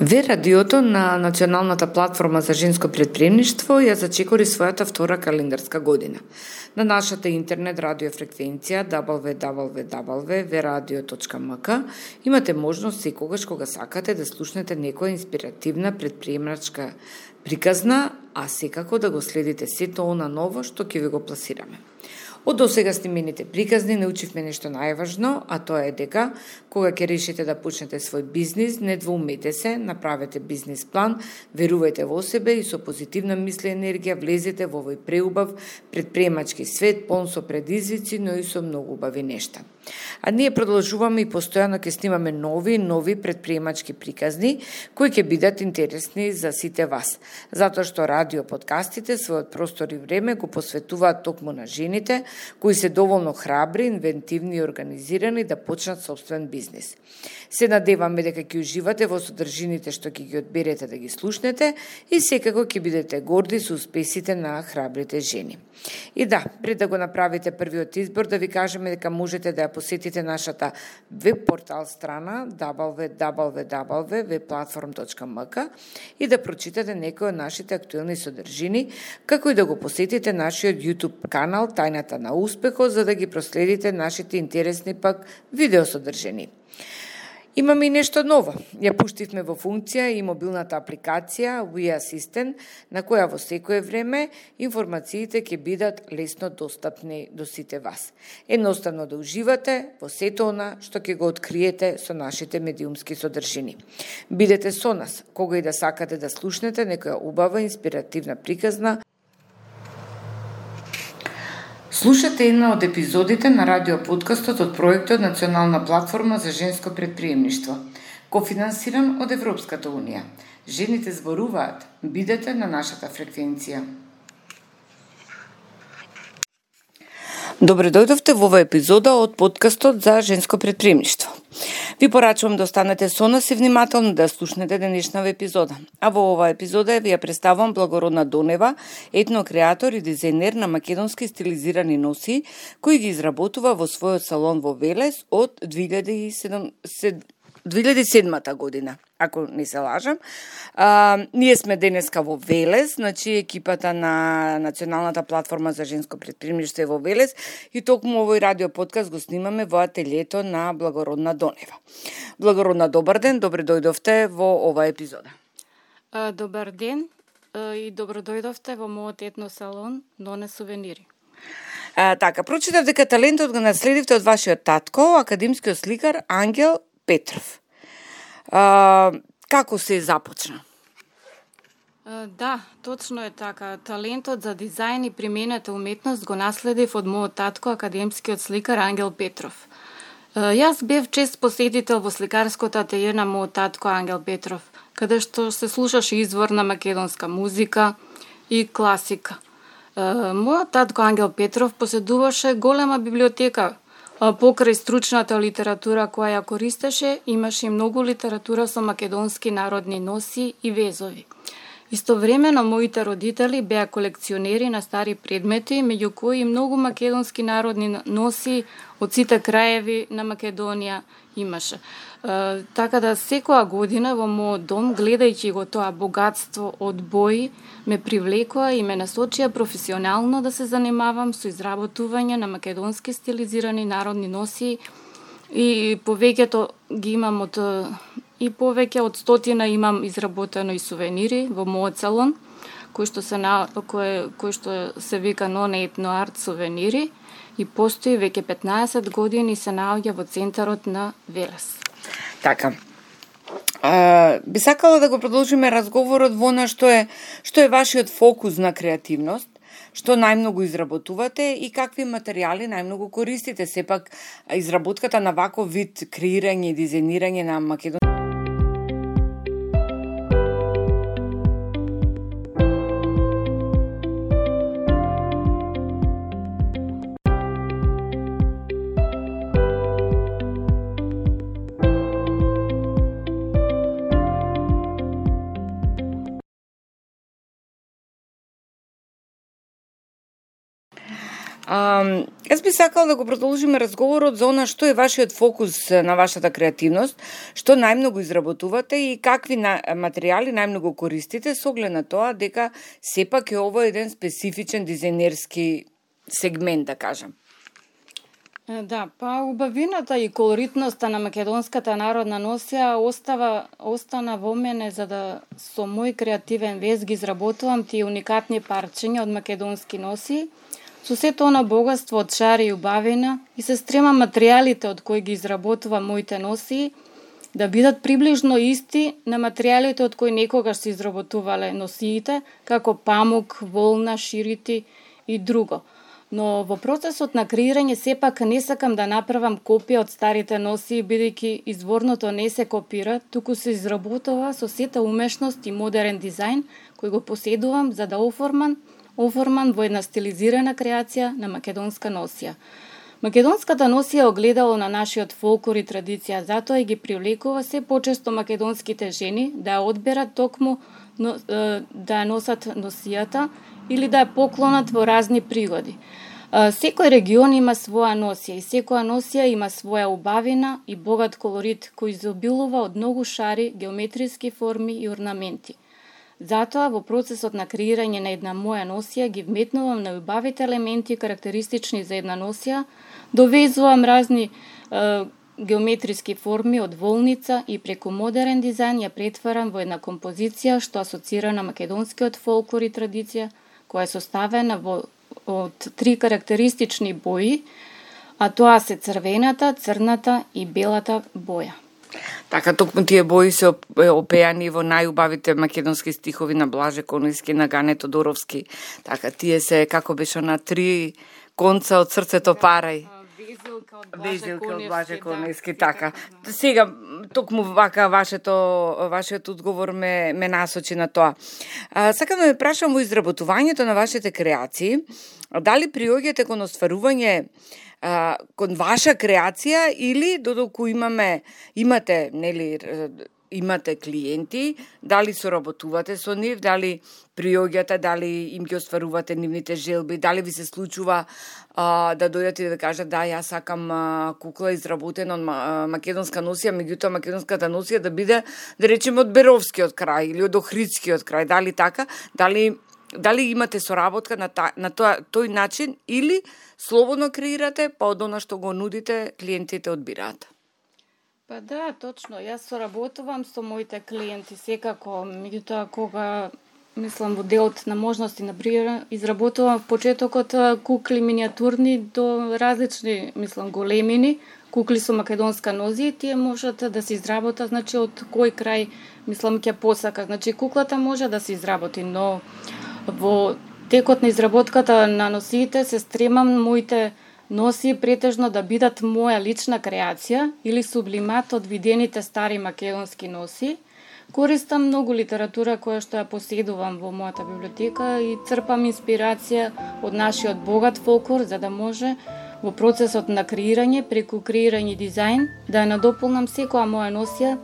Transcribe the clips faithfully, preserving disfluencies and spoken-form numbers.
Ве радиото на Националната платформа за женско претприемништво ја зачекори својата втора календарска година. На нашата интернет радио фреквенција дабл ю дабл ю дабл ю точка ве радио точка ем ка имате можност секогаш кога сакате да слушнете некоја инспиративна претприемачка приказна, а секако да го следите сето она ново што ќе ви го пласираме. Од досега снимените приказни научивме нешто најважно, а тоа е дека кога ќе решите да почнете свој бизнис, не двоумете се, направете бизнис план, верувајте во себе и со позитивна мисла и енергија влезете во овој преубав претприемачки свет, полн со предизвици, но и со многу убави нешта. А ние продолжуваме и постојано ќе снимаме нови нови претприемачки приказни кои ќе бидат интересни за сите вас, затоа што радио подкастите својот простор и време го посветуваат токму на жените кои се доволно храбри, инвентивни и организирани да почнат собствен бизнис. Се надеваме дека ќе уживате во содржините што ќе ги одберете да ги слушнете и секако ќе бидете горди со успесите на храбрите жени. И да, пред да го направите првиот избор, да ви кажеме дека можете да ја посетите нашата веб портал страна дабл ю дабл ю дабл ю точка ве платформ точка ем ка и да прочитате некои од нашите актуелни содржини, како и да го посетите нашиот YouTube канал Тајната на успехот, за да ги проследите нашите интересни пак видеосодржини. Имаме и нешто ново. Ја пуштивме во функција и мобилната апликација We Assistant, на која во секое време информациите ќе бидат лесно достапни до сите вас. Едноставно да уживате во сето она што ќе го откриете со нашите медиумски содржини. Бидете со нас, кога и да сакате да слушнете некоја убава инспиративна приказна. Слушате една од епизодите на радиоподкастот од проектот Национална платформа за женско претприемништво, кофинансиран од Европската унија. Жените зборуваат, бидете на нашата фреквенција. Добре дојдовте во оваа епизода од подкастот за женско претприемништво. Ви порачувам да останете со нас и внимателно да слушнете денешнава епизода. А во оваа епизода ви ја представам Благородна Донева, етнокреатор и дизајнер на македонски стилизирани носи, кој ги изработува во својот салон во Велес од две илјади и седма година, ако не се лажам. А, ние сме денеска во Велес, значи екипата на Националната платформа за женско претприемништво е во Велес и токму овој радио подкаст го снимаме во ателието на Благородна Донева. Благородна, добар ден, добре дојдовте во оваа епизода. А, добар ден и добро дојдовте во мојот етно салон Доне сувенири. А, така, прочитав дека талентот го наследивте од вашиот татко, академскиот сликар Ангел Петров. А, како се започна? А, да, точно е така. Талентот за дизајн и примената уметност го наследив од мојот татко, академскиот сликар Ангел Петров. А, јас бев чест посетител во сликарското ателје на мојот татко Ангел Петров, каде што се слушаше изворна македонска музика и класика. А, мојот татко Ангел Петров поседуваше голема библиотека. Покрај стручната литература која ја користеше, имаше и многу литература со македонски народни носи и везови. Истовремено, моите родители беа колекционери на стари предмети, меѓу кои многу македонски народни носи од сите краеви на Македонија имаше. Uh, така да секоја година во мојот дом, гледајќи го тоа богатство од бои, ме привлекоа и ме насочија професионално да се занимавам со изработување на македонски стилизирани народни носи и повеќето ги имам од и повеќе од стотина имам изработено и сувенири во мојот салон, кој што се на кој кој што се вика Ноне етно арт сувенири и постои веќе петнаесет години и се наоѓа во центарот на Велес. Така. А, би сакала да го продолжиме разговорот во она што е што е вашиот фокус на креативност, што најмногу изработувате и какви материјали најмногу користите. Сепак изработката на ваков вид креирање и дизајнирање на македонски А, јас би сакала да го продолжиме разговорот за она што е вашиот фокус на вашата креативност, што најмногу изработувате и какви на, материјали најмногу користите, со оглед на тоа дека сепак е ово еден специфичен дизајнерски сегмент, да кажам. Да, па убавината и колоритноста на македонската народна носија остава остана во мене за да со мој креативен вез ги изработувам тие уникатни парчиња од македонски носи, со сето она богатство од шари и убавина и се стремам материјалите од кои ги изработувам моите носи да бидат приближно исти на материјалите од кои некогаш се изработувале носиите, како памук, волна, ширити и друго. Но во процесот на креирање сепак не сакам да направам копија од старите носи, бидејќи изворното не се копира, туку се изработува со сета умешност и модерен дизајн кој го поседувам за да оформам оформан во една стилизирана креација на македонска носија. Македонската носија е огледало на нашиот фолклор и традиција, затоа и ги привлекува се почесто македонските жени да ја одберат токму да ја носат носијата или да ја поклонат во разни пригоди. Секој регион има своја носија и секоја носија има своја убавина и богат колорит кој изобилува од многу шари, геометриски форми и орнаменти. Затоа, во процесот на креирање на една моја носија ги вметнувам на убавите елементи карактеристични за една носија, довезувам разни е, геометриски форми од волница и преку модерен дизајн ја претварам во една композиција што асоцира на македонскиот фолклор и традиција, која е составена во, од три карактеристични бои, а тоа се црвената, црната и белата боја. Така, токму тие бои се опеани во најубавите македонски стихови на Блаже Конојски, на Гане Тодоровски. Така, тие се, како беше, на три конца од срцето парај. Везилка од Блаже Конојски, така. Сега, токму вака вашето, вашиот одговор ме, ме насочи на тоа. А, сакам да ме прашам во изработувањето на вашите креации, дали приоѓате кон остварување Uh, кон ваша креација или додолку имаме имате нели имате клиенти, дали соработувате со нив, дали приоѓате, дали им ги остварувате нивните желби, дали ви се случува uh, да дојдете и да кажат да јас сакам uh, кукла изработена од uh, македонска носија, меѓутоа македонската носија да биде, да речеме, од Беровскиот крај или од Охридскиот крај, дали така, дали дали имате соработка на, та, на тоа, тој начин или слободно креирате, па од она што го нудите, клиентите одбираат? Па да, точно. Јас соработувам со моите клиенти секако, меѓутоа кога мислам во делот на можности на пример изработувам в почетокот кукли миниатурни до различни, мислам, големини, кукли со македонска нозија, тие можат да се изработат, значи од кој крај мислам ќе посака. Значи куклата може да се изработи, но во текот на изработката на носиите се стремам моите носи претежно да бидат моја лична креација или сублимат од видените стари македонски носи. Користам многу литература која што ја поседувам во мојата библиотека и црпам инспирација од нашиот богат фолклор за да може во процесот на креирање, преку креирање дизајн, да ја надополнам секоја моја носија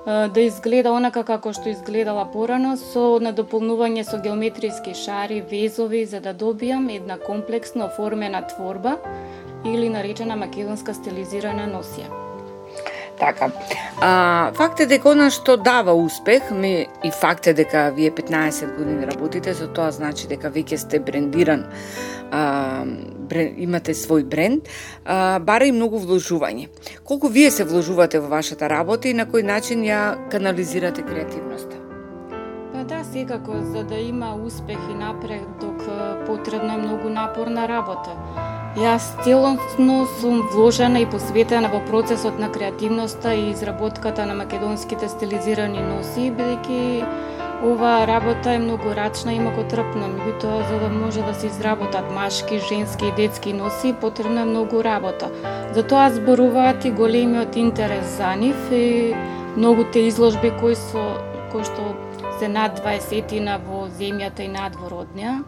да изгледа онака како што изгледала порано, со надополнување со геометриски шари, везови, за да добијам една комплексно оформена творба или наречена македонска стилизирана носија. Така. А, факт е дека она што дава успех, ми, и факт е дека вие петнаесет години работите, за тоа значи дека веќе сте брендиран, а, брен, имате свој бренд, а, бара и многу вложување. Колку вие се вложувате во вашата работа и на кој начин ја канализирате креативноста? Па да, секако, за да има успех и напредок, потребна е многу напорна работа. Јас целосно сум вложена и посветена во процесот на креативноста и изработката на македонските стилизирани носи, бидејќи оваа работа е многу рачна и многотрпна, меѓутоа за да може да се изработат машки, женски и детски носи, потребна е многу работа. Затоа зборуваат и големиот интерес за нив и многуте изложби кои со кои што се над дваесетина во земјата и надвор од неа.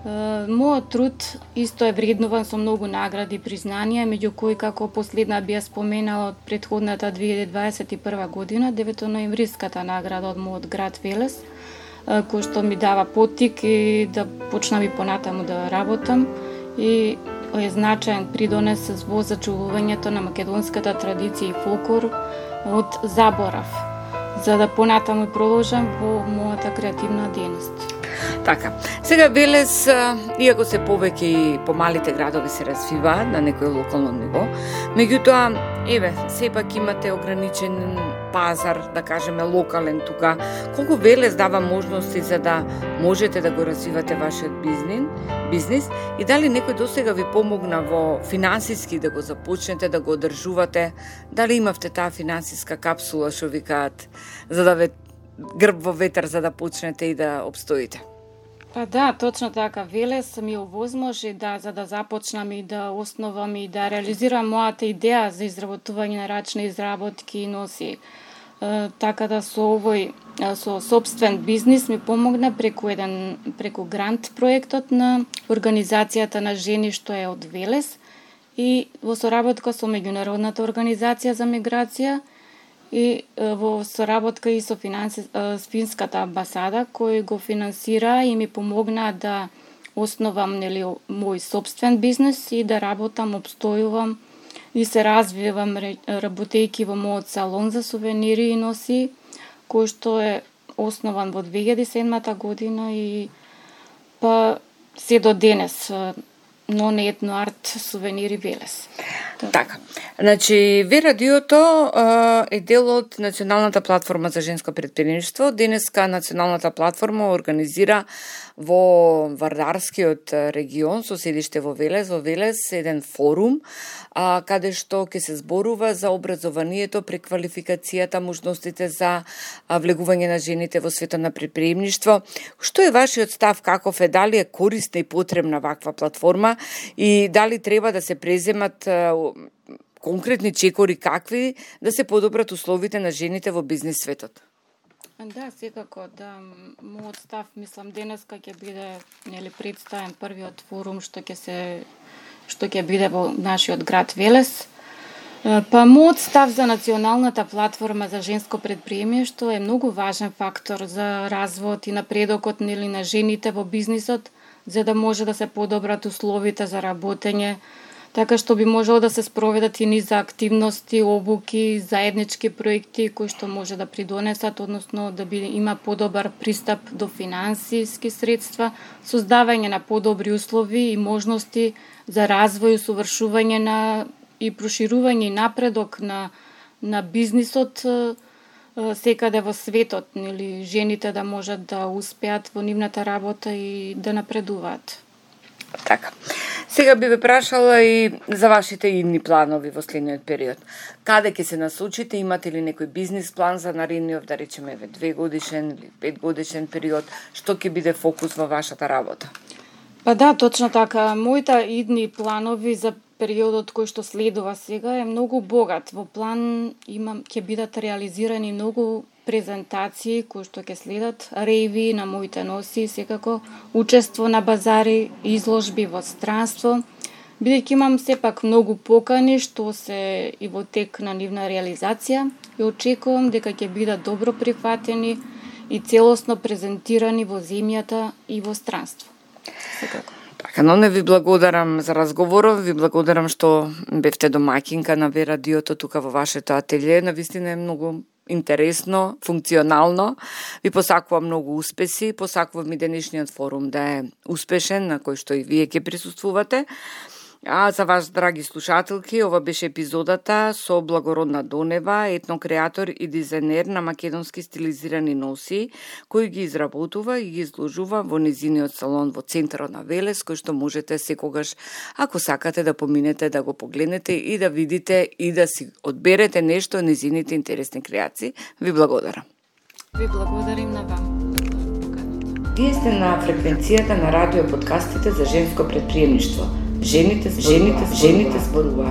Мојот труд исто е вреднуван со многу награди и признанија, меѓу кои како последна би ја споменала од претходната две илјади дваесет и прва година, деветоноемвриската награда од мојот град Велес, кој што ми дава поттик и да почнам и понатаму да работам. И е значаен придонес во зачувувањето на македонската традиција и фолклор од заборав, за да понатаму продолжам во мојата креативна дејност. Така, сега Велес, иако се повеќе и помалите градови се развиваат на некој локално ниво, меѓутоа, еве, сепак имате ограничен пазар, да кажеме локален тука. Колку Велес дава можности за да можете да го развивате вашиот бизнес, бизнес и дали некој досега ви помогна во финансиски да го започнете, да го одржувате, дали имавте таа финансиска капсула, што викаат, за да ве грб во ветер за да почнете и да обстоите? Па да, точно така. Велес ми овозможи да за да започнам и да основам и да реализирам мојата идеја за изработување на рачни изработки и носи. Е, така да со овој со сопствен бизнис ми помогна преку еден преку грант проектот на организацијата на жени што е од Велес и во соработка со меѓународната организација за миграција и во соработка и со финанси, финската амбасада кој го финансира и ми помогна да основам нели мој сопствен бизнес и да работам, обстојувам и се развивам работејќи во мојот салон за сувенири и носи, кој што е основан во две илјади и седма година и па се до денес, но не етно арт сувенири Велес. Така. Значи, Ве радиото е дел од Националната платформа за женско претприемништво. Денеска Националната платформа организира во Вардарскиот регион со седиште во Велес, во Велес еден форум а, каде што ќе се зборува за образованието, преквалификацијата, можностите за а, влегување на жените во светот на претприемништво. Што е вашиот став, каков е, дали е корисна и потребна ваква платформа и дали треба да се преземат а, конкретни чекори какви да се подобрат условите на жените во бизнес светот? Да, секако, да. Мојот став, мислам, денеска ќе биде нели представен првиот форум што ќе се што ќе биде во нашиот град Велес. Па мојот став за Националната платформа за женско претприемништво е многу важен фактор за развојот и напредокот нели на жените во бизнисот, за да може да се подобрат условите за работење, така што би можело да се спроведат и низ активности, обуки, заеднички проекти кои што може да придонесат, односно да би има подобар пристап до финансиски средства, создавање на подобри услови и можности за развој, усовршување на и проширување и напредок на на бизнисот секаде во светот, нели жените да можат да успеат во нивната работа и да напредуваат. Така. Сега би ве прашала и за вашите идни планови во следниот период. Каде ќе се насочите? Имате ли некој бизнис план за наредниот, да речеме, две годишен или пет годишен период? Што ќе биде фокус во вашата работа? Па да, точно така. Моите идни планови за периодот кој што следува сега е многу богат. Во план имам ќе бидат реализирани многу презентации кои што ќе следат, рејви на моите носи, секако учество на базари, изложби во странство, бидејќи имам сепак многу покани што се и во тек на нивна реализација и очекувам дека ќе бидат добро прифатени и целосно презентирани во земјата и во странство. Секако. Така, но не ви благодарам за разговоров, ви благодарам што бевте домаќинка на Ве радиото тука во вашето ателје. Навистина е многу интересно, функционално. Ви посакувам многу успеси, посакувам и денешниот форум да е успешен, на кој што и вие ќе присуствувате. А за вас, драги слушателки, ова беше епизодата со Благородна Донева, етнокреатор и дизајнер на македонски стилизирани носи, кој ги изработува и ги изложува во незиниот салон во центарот на Велес, кој што можете секогаш, ако сакате да поминете, да го погледнете и да видите и да си одберете нешто од незините интересни креации. Ви благодарам. Ви благодарим на вам. Вие сте на фреквенцијата на радио подкастите за женско претприемништво. Жените, жените, жените зборуваат.